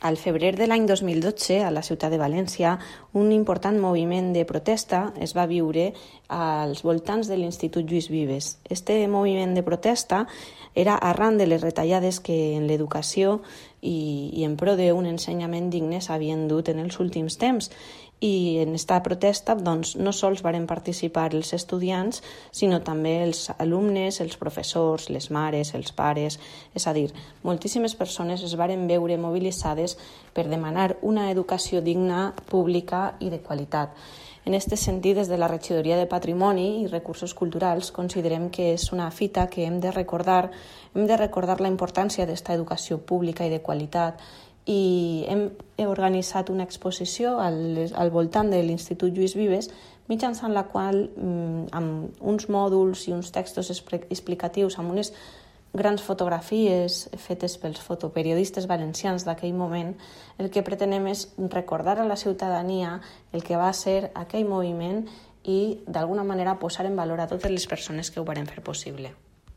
Al febrer de l'any 2012, a la ciutat de València, un important moviment de protesta es va viure als voltants de l'Institut Lluís Vives. Este moviment de protesta era arran de les retallades que en l'educació i en pro d'un ensenyament digne s'havien dut en els últims temps. I en esta protesta no sols varen participar els estudiants, sinó també els alumnes, els professors, les mares, els pares. És a dir, moltíssimes persones es varen veure mobilitzades per demanar una educació digna, pública i de qualitat. En aquest sentit, des de la Regidoria de Patrimoni i Recursos Culturals considerem que és una fita que hem de recordar la importància d'esta educació pública i de qualitat, i hem organitzat una exposició al voltant de l'Institut Lluís Vives, mitjançant la qual, amb uns mòduls i uns textos explicatius, amb unes grans fotografies fetes pels fotoperiodistes valencians d'aquell moment, el que pretenem és recordar a la ciutadania el que va ser aquell moviment i, d'alguna manera, posar en valor a totes les persones que ho varen fer possible.